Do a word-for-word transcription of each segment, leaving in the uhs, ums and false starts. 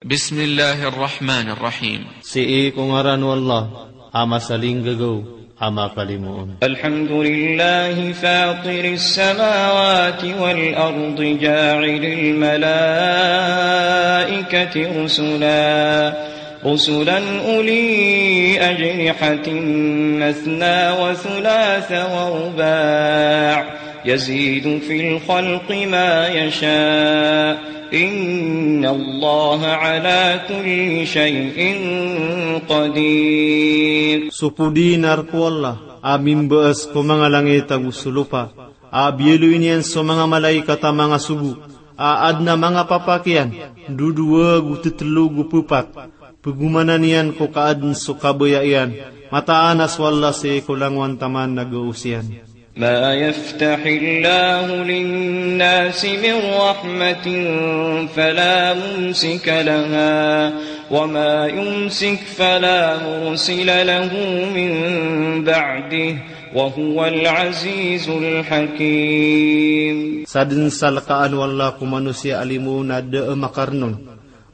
Bismillahir Rahmanir Rahim. Sii ko ngaran o Allah, a masalinggagaw, a mapalimoon. الحمد لله فاطر السماوات والأرض جاعل الملائكة رسلا، رسلا أولي أجنحة مثنى وثلاث ورباع يزيد في الخلق ما يشاء إن الله على كل شيء قدير. So podinar ko Allah a mimbaas ko manga langit ago so lopa, a biyaloy niyan so manga malaikat a manga sogo, a adn a manga papak iyan, dodowa go tetelo go pepat, pegomanan iyan ko kaadn so kabaya iyan, mataan a so Allah sii ko langowan taman na gaos iyan. ما يفتح الله للناس من رحمة فلا ممسك لها وما يمسك فلا مرسل له من بعده وهو العزيز الحكيم. Sadn sa lkaan o Allah ko manosiya a limo na da a makarn on,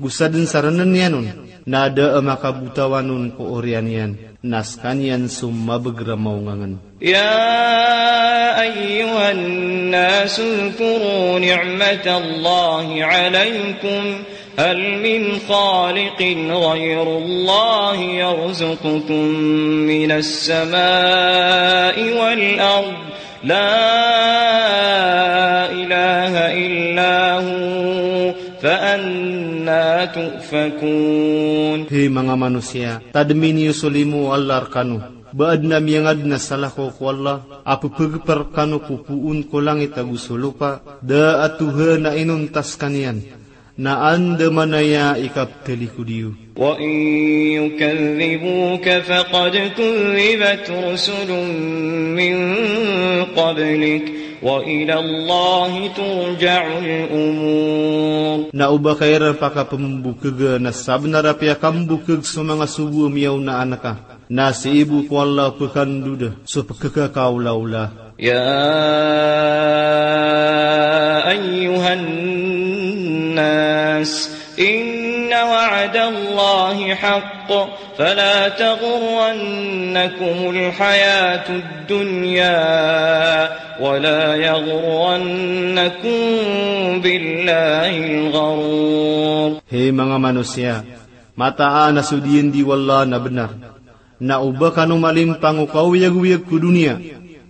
go sadn sa rnn iyan on, na da a makabotawan on ko oriyan iyan, na skaniyan so mabagr a maongangn. يا أيها الناس اذكروا نعمة الله عليكم هل من خالق غير الله يرزقكم من السماء والأرض لا إله إلا هو فأنى تؤفكون. Hay manga manosiya, tadmi niyo so limo o Allah rkano, ba adn a miyangadn a salakaw ko Allah a ppagpr rkano ko poon ko langit ago so lopa, da a tohan a inonta skaniyan, na andamanaya i ikaptalikod iyo. وإن يكذبوك فقد كذبت رسل من قبلك وإلى الله ترجع الأمور. Na o ba ka iran pakapmbokg na sabnar a piyakambokg so manga sogo a miyaona anka, na sii bo ko Allah pkhandoda so pkakaolaola. يا أيها الناس إن وعد الله حق فلا تغرنكم الحياة الدنيا ولا يغرنكم بالله الغرور. Hay manga manosiya, mataan a so diyandi o Allah na bnar. Na o ba kano malimpang o kaoyagoyag ko doniya,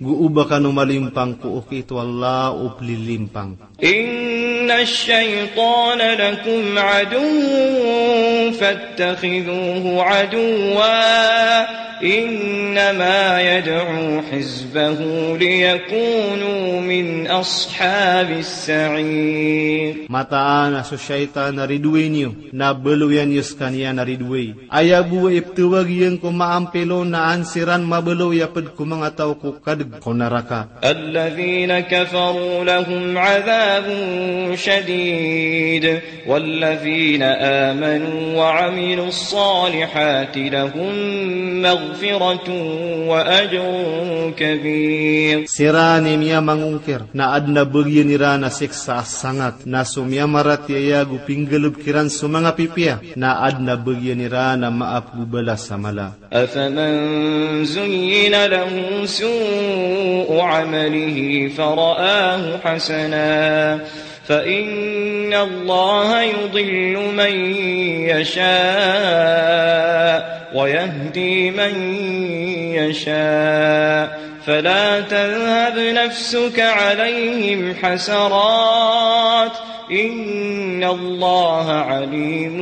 go o ba kano malimpang ko okit o Allah o plilimpang. إن الشيطان لكم عدو فاتخذوه عدوا إنما يدعو حزبه ليكونوا من أصحاب السعير. Mataan a so shaytan a ridoay niyo, na baloyan iyo skaniyan a ridoay. Aya bo a iptawag iyan ko maampilo na an siran mabaloy a pd ko manga taw ko kadg ko naraka. الذين كفروا لهم عذاب شديد والذين آمنوا وعملوا الصالحات لهم مغفرة وأجر كبير. Siran i miyamangongkir na adn a bagian iran a siksa a sangat, na so miyamaratiyaya go pinggalbk iran so manga pipiya na adn a bagian iran a maap go balas a mala. أفمن زين له سوء عمله فرآه حسنا فإن الله يضل من يشاء ويهدي من يشاء فلا تذهب نفسك عليهم حسرات إن الله عليم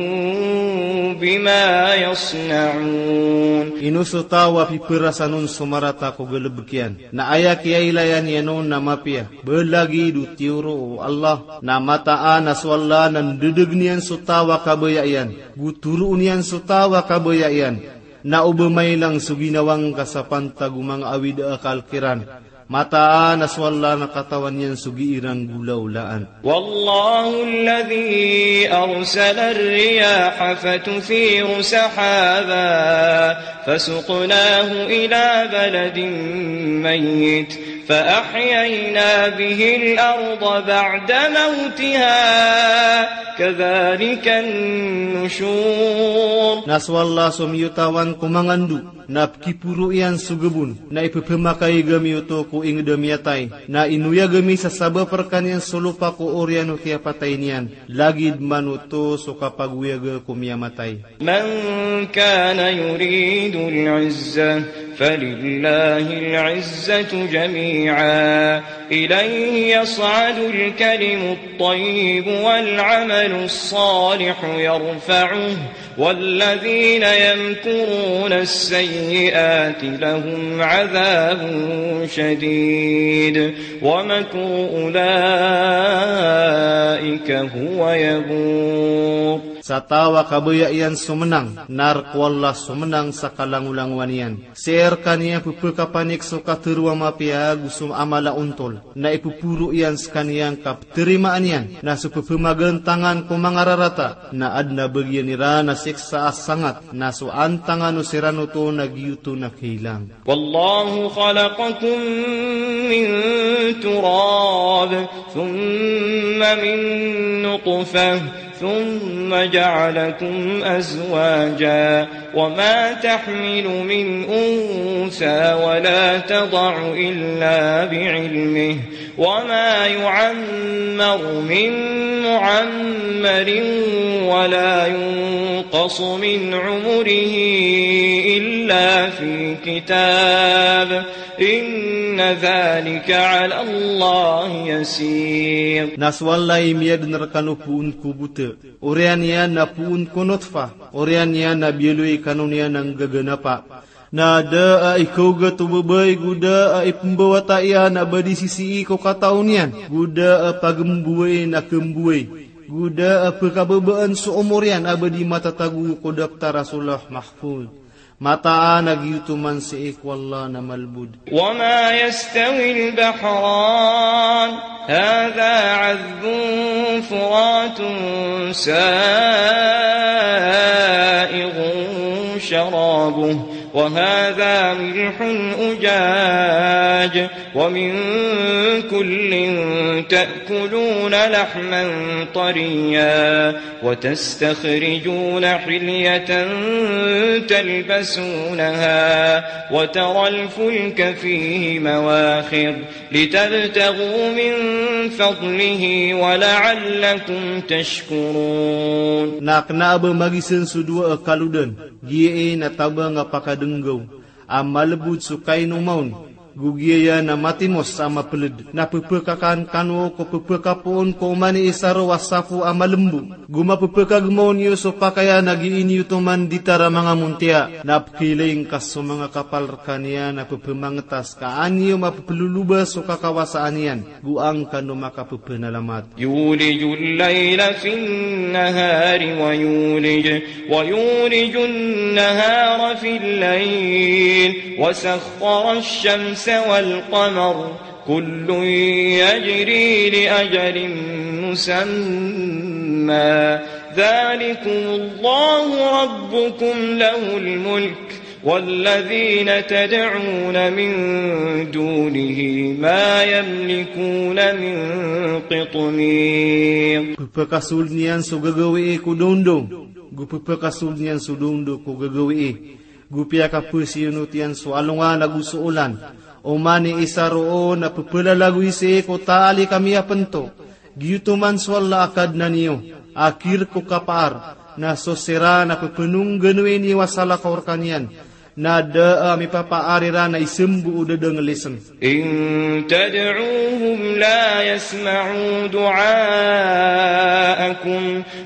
بما يصنعون. Ino so taw a pipharasan on so marata ko galbk iyan, na aya kiyailaya niyan on na mapiya, ba lagid o tiyoro o Allah, na mataan a so Allah na ndadagn iyan so taw a kabaya iyan, go toroon iyan so taw a kabaya iyan. Na o ba mailang so ginawa ngka sa pantag o manga awid a akal kiran, mataan a so Allah na katawan iyan so gii ran golaolaan. والله الذي أرسل الرياح فتثير سحابا فسقناه إلى بلد ميت فأحيينا به الأرض بعد موتها كذلك النشور. Na so Allah so miyotawan ko mangando, na pkiporo iyan so gabon, na ipphmakaiga mi oto ko ingd a miyatay, na inoyag ami sa sabap rkaniyan so lopa ko oriyan o kiyapatay niyan, lagid man oto so kapagoyaga ko miyamatay. من كان يريد العزة فلله العزة جميعا إليه يصعد الكلم الطيب والعمل الصالح يرفعه والذين يمكرون السيئات لهم عذاب شديد ومكر أولئك هو يبور. Sa taw a kabaya iyan so mnang, na rk o Allah so mnang sa kalangolangowan iyan. Sii rkaniyan pphakapanik so katharo a mapiya ago so mala a ontol, na ipphoro iyan skaniyan ka ptharimaan iyan, na so pphamagantangan ko manga rarata, na adn a bagian iran a siksa a sangat, na so antangan o siran oto na giyoto na kailang. والله خلقكم من تراب ثم من نطفة ثم جعلكم أزواجا وما تحمل من أنثى ولا تضع إلا بعلمه وما يعمر من معمر ولا ينقص من عمره إلا في كتاب إن ذلك على الله يسير. Na so Allah i miyadn rkano poon ko bota, oriyan iyan na poon ko notfa, oriyan iyan na biyaloy kano niyan a nggaganapa. Na da a ikaogat o babay go da a ipmbawata iyan a ba di sisii ko katao niyan, go da a pagmbowai na kmbowai, go da a pkababaan so omor iyan a ba di matatago ko daptar a so Lawh Mahfuz. Mataan a giyoto man sii ko Allah na malbod. وما يستوي البحران هذا عذب فرات سائغ شرابه وهذا ملح أجاج ومن كل تأكلون لحما طريا وتستخرجون حلية تلبسونها وترى الفلك فيه مواخر لتبتغوا من فضله ولعلكم تشكرون. Na kna a ba magisn so dowa a kalodan, giyai na tabang a pakadnggaw a malbod so kainomaon, go giyaya na matimos a mapled, na pphakakan kano ko pphakapoon ko oman i isa ron a sapo a malembo, go mapphakagmaw niyo so pakaian a gii niyo toman di tara manga montiya, na pkhailay ngka so manga kapal rkaniyan a pphmangtas ka an iyo mapploloba so kakawasaan iyan, go an kano makapphalamat. يولج الليل في النهار ويولج، ويولج النهار في الليل، وسخر الشمس والقمر، كل يجري لأجل مسمى، ذلكم الله ربكم له الملك، والذين تدعون من دونه ما يملكون من قطمير. Pphakasold iyan so gagawii ko dongdong, go pphakasold iyan so dongdong ko gagawii, go piyakapsiyonot iyan so alongan ago so olan. Oman i isa ron na pphalagoy sii ko taali ka miyapnto. Giyoto man so Allah a Kadnan iyo, a khirk o kapaar, na so siran a pphangngganon iyo a salakaw rkaniyan, na da a mipapaar iran a isambo o da dn a lisn. إن تدعوهم لا يسمعوا دعاءكم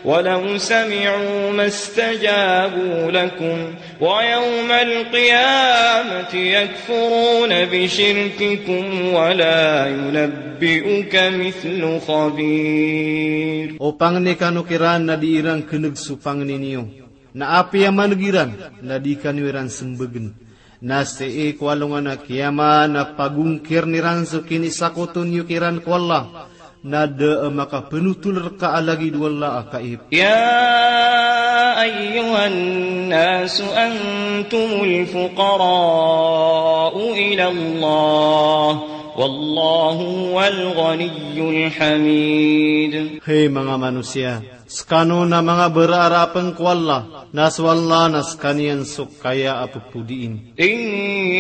ولو سمعوا ما استجابوا لكم ويوم القيامة يكفرون بشرككم ولا ينبئك مثل خبير. O pangni kano kiran na di iran kneg so pangni niyo. Na apiya maneg iran, na di kano iran smbagn. Na sii ko alongan a kiyamat na pagongkirn iran so kinisakoto niyo kiran ko Allah. Na da a makapnotol rka a lagid o Allah a kaib. يا أيها الناس أنتم الفقراء إلى الله والله هو الغني الحميد. Hay manga manosiya, sekano na manga berarap ko Allah, na so Allah na sekaniyan so kaya a pepodiin. إن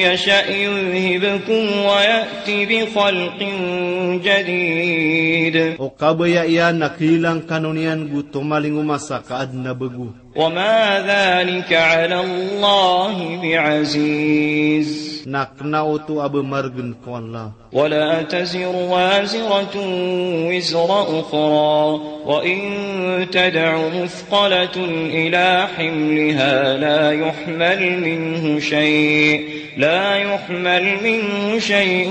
يشأ يذهبكم ويأت بخلق جديد. O kabaya iyan na keilang kano niyan go tomalingoma sa kaadn a bego. وما ذلك على الله بعزيز. Na kena oto a ba maregen ko Allah. ولا تزر وازرة وزر أخرى وإن تدع مثقلة إلى حملها لا يحمل منه شيء، لا يحمل منه شيء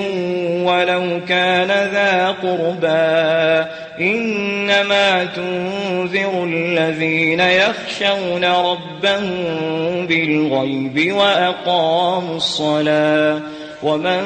ولو كان ذا قربى. إنما تنذر الذين يخشون ربهم بالغيب وأقاموا الصلاة ومن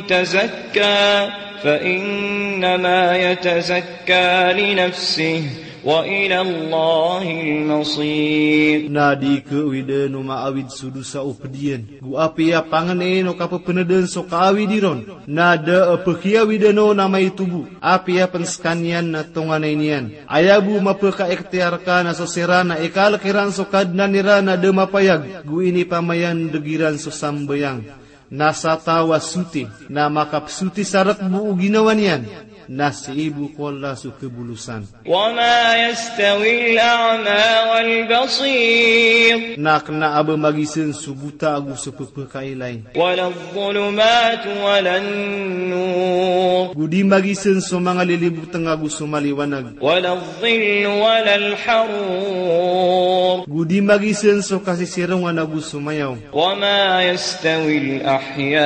تزكى فإنما يتزكى لنفسه وإلى الله المصير. Na di kawiden o maawid so dosa o ped iyan, go apiya pangeneen o kapepeneden so kaawid iron, na da a pekiawiden on a maito bo, apiya pen sekaniyan na tonganay niyan. Aya bo mapekaikhtiyar ka na so siran a ikalek iran so Kadnan iran a da mapayag, go inipamayandeg iran so sambayang. Na sa taw a soti, na makapesoti sa rek bo o ginawa niyan, na sii bo ko Allah so kebolosan. وما يستوي الأعمى والبصير. Na kena a ba magisen so bota ago so pepekailay. ولا الظلمات ولا النور. Go di magisen so manga liliboteng ago so maliwanag. ولا الظل ولا الحرور. Go di magisen so kasisirongan ago so mayaw. وما يستوي الأحياء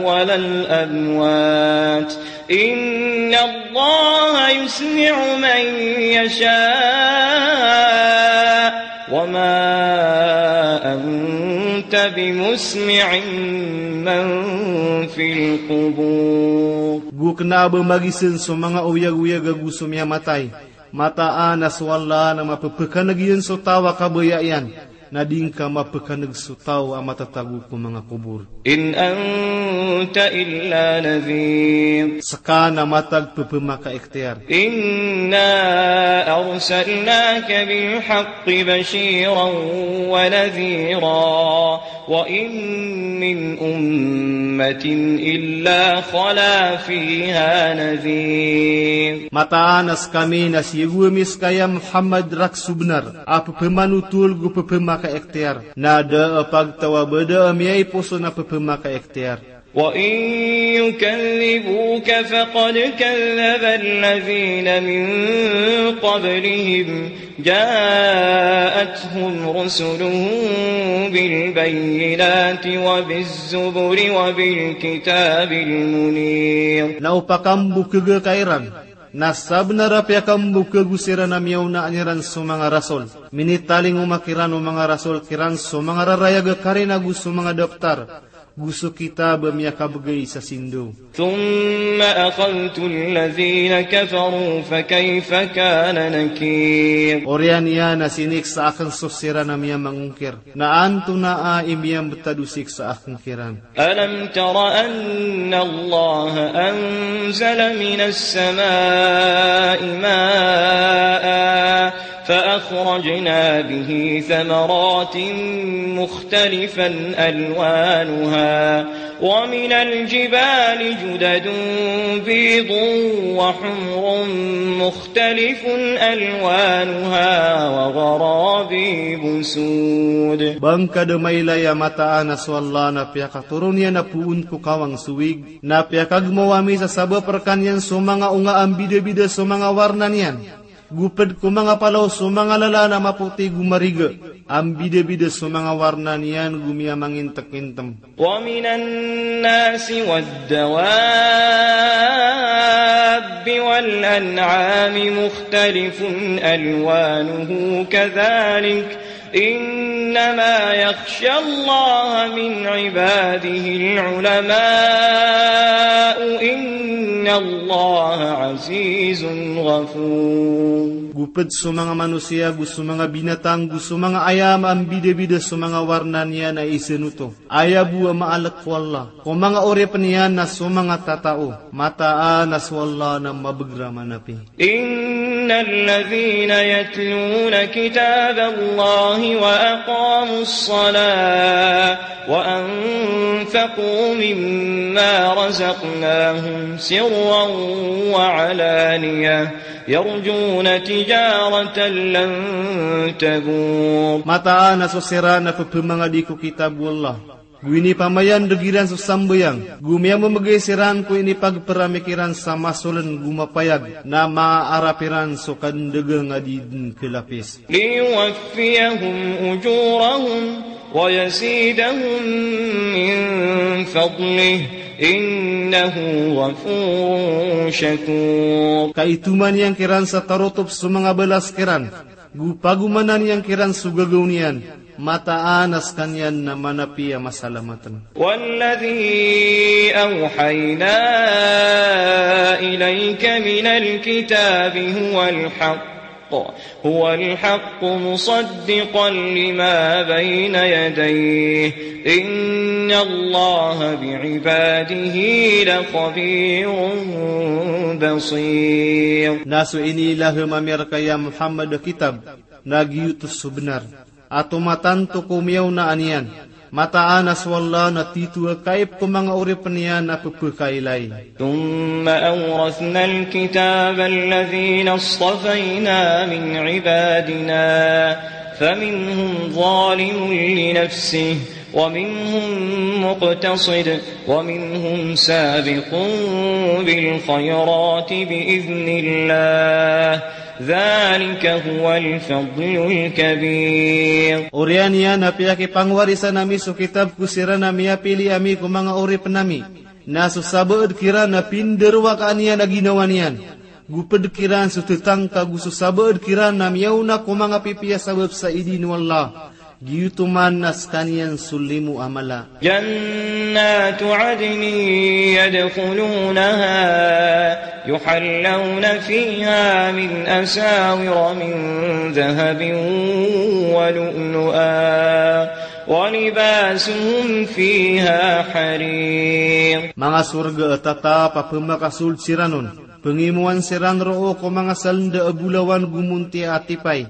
ولا الأموات. إن الله يسمع من يشاء وما أنت بمسمع من في القبور. Go kena a ba magisen so manga oyag-oyag ago so miyamatay. Mataan a so Allah na mapepekaneg iyan so taw a kabaya iyan, na di ngka mapekaneg so taw a matatago ko manga kobor. إن أنت إلا نذير. Seka na matag pepemakaikhtiyar. إنا أرسلناك بالحق بشيرا ونذيرا وإن من أمة إلا خلا فيها نذير. Mataan a sekami na siyogo ami seka ya Muhammad rek so benar a pepemanotol go pepemakaikhtiyar. Na da a pagtaw a ba da a miyaiposon a pepemakaikhtiyar. وإن يكذبوك فقد كذب الذين من قبلهم جاءتهم رسلهم بالبينات وبالزبر وبالكتاب المنير. Na o pakambokega ka iran, na sabenar a piyakambokeg o siran a miyaonaan iran so manga rasol. Minitalingoma kiran o manga rasol kiran so manga rarayag a karina go so manga daptar, go so kitab a miyakabegay sa sindo. ثم أخذت الذين كفروا فكيف كان نكير. Oriyan iyan a siniksa aken so siran a miyamangongkir. Na antonaa i miyambetad o siksa aken kiran. ألم تر أن الله أنزل من السماء ماء فأخرجنا به ثمرات مختلفا ألوانها ومن الجبال جدد بيض وحمر مختلف ألوانها وغرابيب سود. Ba ngka da mailay a mataan a so Allah na piyakatoron iyan a poon ko kawang so wig, na piyakagmaw ami sa sabap rekaniyan so manga onga a mbidabida so manga warna niyan. Go ped ko manga palaw so manga lalan a mapoti go mariga a mbidabida so manga warna niyan go miyamangintekintem. ومن الناس والدواب والأنعام مختلف ألوانه كذلك إنما يخشى الله من عباده العلماء إن الله عزيز غفور. Go pd so manga manosiya, go so manga binatang, go so manga ayam a mbidabida so manga warna niyan a isn oto. Aya bo a maalk ko Allah ko manga oripn iyan na so manga tatao, mataan a so Allah na mabagr a manapi. إن الذين يتلون كتاب الله وأقاموا الصلاة وأنفقوا مما رزقناهم سرا وعلانية يرجون تجارة لن تبور. Mataan a so siran a pphamangadi ko kitab o Allah, go inipamayandg iran so sambayang, go miyamamgay siran ko inipagpramik iran sa masoln go mapayag, na maarap iran so kandagang a di dn klapis. ليوفيهم أجورهم ويزيدهم من فضله إنه غفور شكور. Ka itoman iyan kiran sa tarotop so manga balas kiran, go pagomanan iyan kiran so gagaw niyan, mataan a skaniyan na manapi a masalamatn. والذي أوحينا إليك من الكتاب هو الحق، هو الحق مصدقا لما بين يديه، إن الله بعباده لخبير بصير. Na so iniilahm ami rka ya Muhammad a kitab, na giyoto so bnar a tomatanto ko miyaonaan iyan. Mataan a so Allah na tito a kaip ko manga oripn iyan a pphakailay. ثم أورثنا الكتاب الذين اصطفينا من عبادنا فمنهم ظالم لنفسه ومنهم مقتصد ومنهم سابق بالخيرات بإذن الله ذلك هو الفضل الكبير. Oriyan iyan a piyakipangwarisan ami so kitab ko siran a miyapili ami ko manga oripn ami. Na so sabaad kiran a pindarowakaan iyan a ginawa niyan, go pd kiran so tatangka, go so sabaad kiran a miyaona ko manga pipiya sabap sa idin o Allah, giyoto man a skaniyan so limo a mala. جنات عدن يدخلونها يحلون فيها من أساور من ذهب ولؤلؤا ولباسهم فيها حرير. Manga sorga a tatap a pmakasold siran on, pngimowan siran roo ko manga salnda a bolawan go monti a tipay,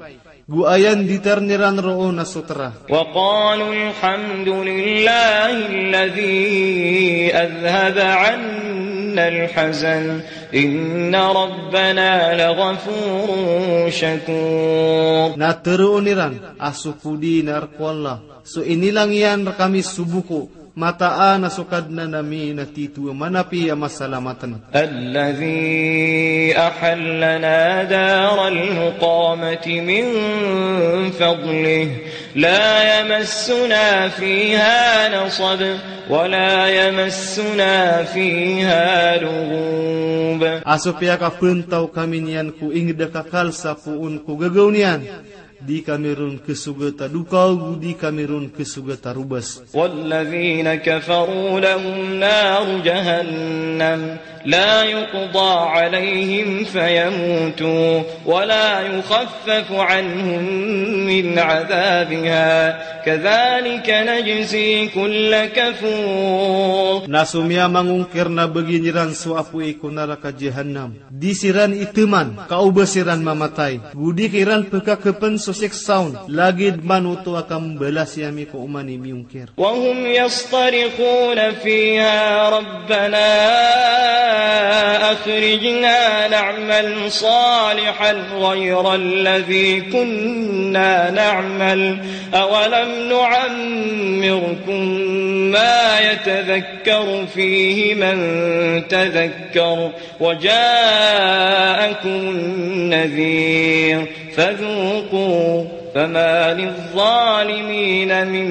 go aya nditarn iran roo na so tra. وقالوا الحمد لله الذي أذهب عنا الحزن إن ربنا لغفور شكور. Na tharoon iran a so podi na rk o Allah so inilang iyan rkami so boko, mataan a so Kadnan ami na tito a manapi a masalamatn. الذي أحلنا دار المقامة من فضله لا يمسنا فيها نصب ولا يمسنا فيها لغوب. A so piyakapntaw kami niyan ko ingd a kakal sa poon ko gagaw niyan, di kami ron khasogat a dokaw, go di kami ron khasogat a robas. والذين كفروا لهم نار جهنم لا يقضى عليهم فيموتوا ولا يخفف عنهم من عذابها كذلك نجزي كل كفور. Na so miyamangongkir na bagian iran so apoy ko naraka Jahannam, di siran iteman, ka o ba siran mamatay, go di kiran pkhakpn so siksa on, lagid man oto a kambalasi ami ko oman i miyongkir. وهم يصطرخون فيها ربنا أخرجنا نعمل صالحا غير الذي كنا نعمل أولم نعمركم ما يتذكر فيه من تذكر وجاءكم النذير فذوقوا فما للظالمين من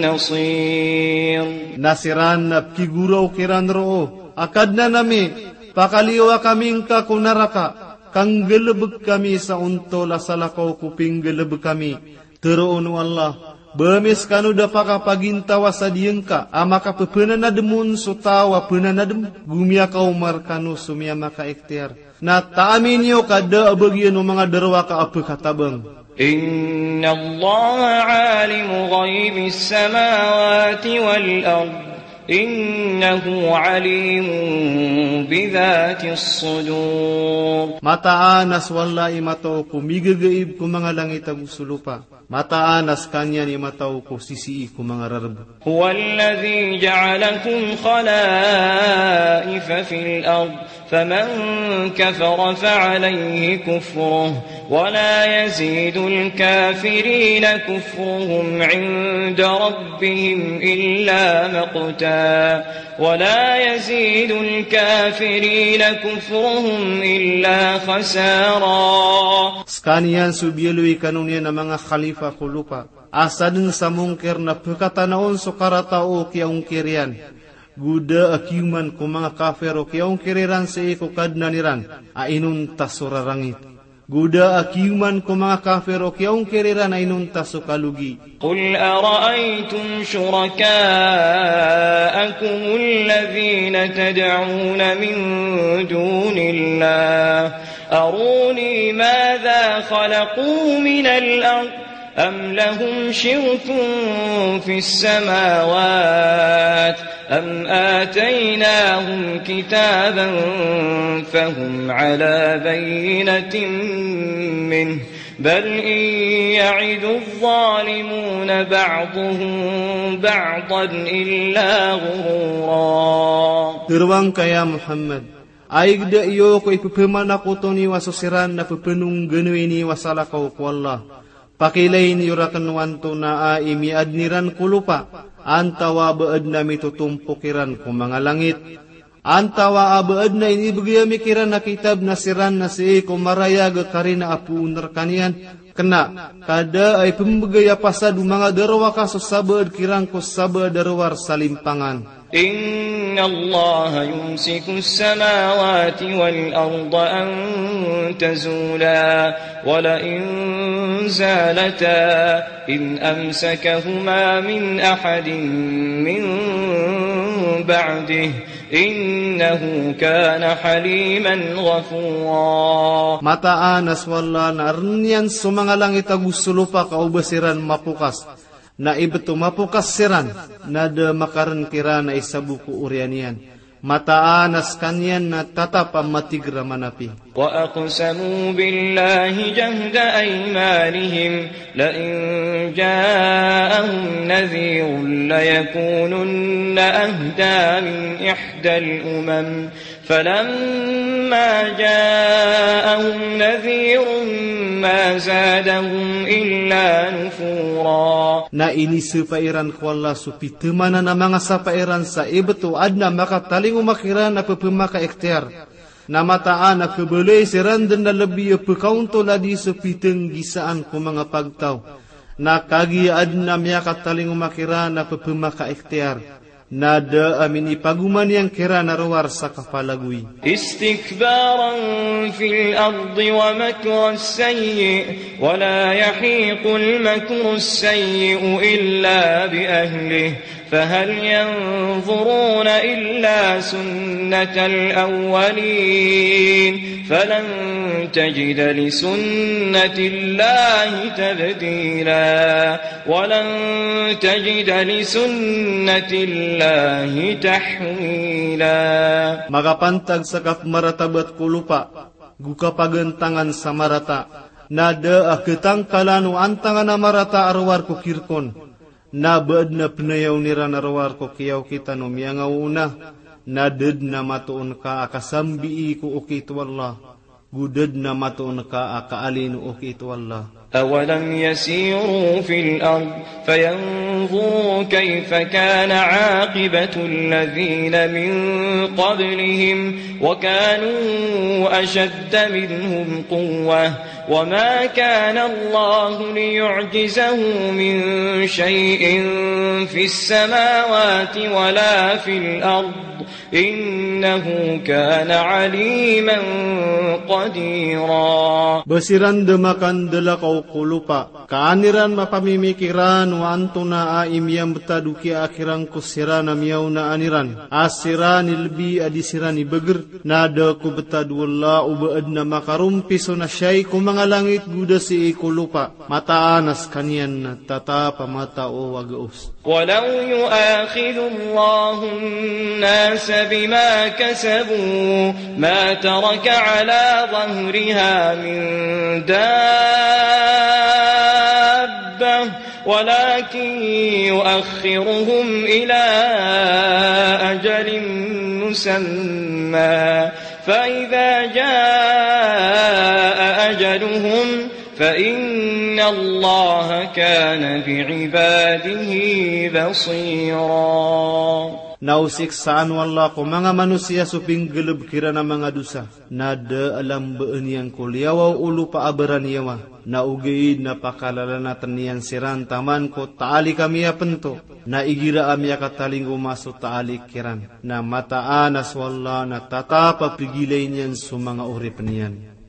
نصير. Na siran na pkhigoraok iran roo a Kadnan ami, pakaliyowa kami ngka ko naraka, ka nggalbk kami sa ontol a salakaw ko pinggalbk ami. Tharoon o Allah, ba ami skano da pakapagintaw a sadiya ngka a makappananadm on so taw a pananadm, go miyakaoma rkano so miyamakaikhtiyar. Na taami niyo ka da a bagian o manga darowaka a pekatabang. إن الله عالم غيب السماوات والأرض إنه عليم بذات الصدور. Mataan a so Allah i matao ko migagaib ko manga langit ago so lopa. Mataan a sekaniyan i matao ko sisii ko manga rareb. هو الذي جعلكم خلائف في الأرض فمن كفر فعليه كفره ولا يزيد الكافرين كفرهم عند ربهم إلا مقتا ولا يزيد الكافرين كفرهم إلا خسارا. Sekaniyan so biyaloy kano niyan a manga khalifa ko lopa. A sadn sa mongkir na pekatanaon so karata o kiyaongkir iyan. Go da a kiyoman ko manga kafir o kiyaongkir iran sii ko Kadnan iran a inonta so rarangit. Go da a kiyoman ko manga kafir o kiyaongkir iran a inonta so kalogi. قل أرأيتم شركاءكم الذين تدعون من دون الله أروني ماذا خلقوا من الأرض أم لهم شرك في السماوات أم آتيناهم كتابا فهم على بينة منه بل إن يعد الظالمون بعضهم بعضا إلا غرورا. Tharoang ka ya Muhammad, ayg da iyo ko ipepemanakoto niyo a so siran na pepenongganowi niyo a salakaw ko Allah. Pakiilay niyo raken o antonaa i miyaadn iran ko lopa, antawaa ba adn a mitotompok iran ko manga langit, antawaa ba adn a inibegay ami kiran a kitab na siran na sii ko marayag a karina a poon rekaniyan. Kena, ka da a ipembegay a pasad o manga darowaka so sabaad kiran ko sabaad a rowar sa limpangan. إن الله يمسك السماوات والأرض أن تزولا ولئن زالتا إن أمسكهما من أحد من بعده إنه كان حليما غفورا. Mataan a so Allah na aren iyan so manga langit ago so lopa ka o ba siran mapokas. Na ibt o mapokas siran, na da makaren kiran a isabo ko oriyan iyan. Mataan a sekaniyan na tatap a matig a manapi. وأقسموا بالله جهد أيمانهم لئن جاءهم نذير ليكونن أهدى من إحدى الأمم فلما جاءهم نذير ما زادهم إلا نفورا. Na inisapa iran ko Allah so pitemanan a manga sapa iran sa ibt o adn a makatalingoma kiran a pepemakaikhtiyar. Na mataan a khabaloy siran den a lebi a pekaontol a di so pitenggisaan ko manga pagtaw. Na kagiya adn a miyakatalingoma kiran a pepemakaikhtiyar. Na da a minipagoman iyan kiran a rowar sa kapalagoy. استكبارا في الأرض ومكر السيء ولا يحيق المكر السيء إلا بأهله فهل ينظرون إلا سنة الأولين فلن تجد لسنة الله تبديلا. ولن تجد لسنة الله تحويلا. Makapantag sa kapmaratabat ko lopa, go kapagantangan sa marata, na da a ketangkalan o antangan a marata a rowar ko kirkon, na ba adn a penayaw iran a rowar ko kiyaokitan o miyangaoona, na da dn a matoon ka a kasambii ko okit o Allah. Go da dn a matoon ka a kaalin o okit o Allah. أولم يسيروا في الأرض فينظروا كيف كان عاقبة الذين من قبلهم وكانوا أشد منهم قوة وما كان الله ليعجزه من شيء في السماوات ولا في الأرض إنه كان عليما قديرا. Ba siran da makandalakaw ko lopa, Ka an iran mapamimikiran o antonaa i miyambetad o kiyaakhiran ko siran a miyaonaan iran, a siran i lebi a di siran i beger, na da ko betad o Allah o ba aden a makarompiso na siyai ko manga langit go da sii ko lopa, mataan a sekaniyan na tatap a matao a gaos. ولو يؤاخذ الله الناس بما كسبوا ما ترك على ظهرها من دابة ولكن يؤخرهم إلى أجل مسمى فإذا جاء أجلهم فإن الله كان بعباده بصيرا. Na o siksaan o Allah ko manga manosiya so pinggalebek iran a manga dosa, na da a lambaan iyan ko liyawaw o lopa a baraniyawa, na ogaid na pakalalaten iyan siran taman ko taalik a miyapento, na igira a miyakatalingoma so taalik iran, na mataan a so Allah na tatap a pegilay niyan so manga oripen iyan.